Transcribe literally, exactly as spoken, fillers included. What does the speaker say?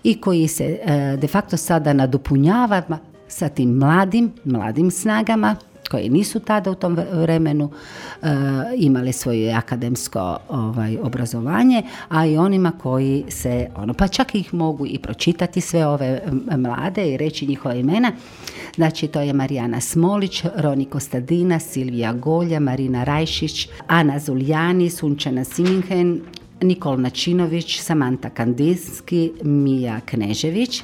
i koji se e, de facto sada nadopunjava sa tim mladim, mladim snagama koje nisu tada u tom vremenu e, imali svoje akademsko ovaj, obrazovanje, a i onima koji se, ono, pa čak ih mogu i pročitati sve ove mlade i reći njihova imena. Znači, to je Marijana Smolić, Roni Kostadina, Silvija Golja, Marina Rajšić, Ana Zuljani, Sunčana Siminhen, Nikol Načinović, Samanta Kandinski, Mija Knežević.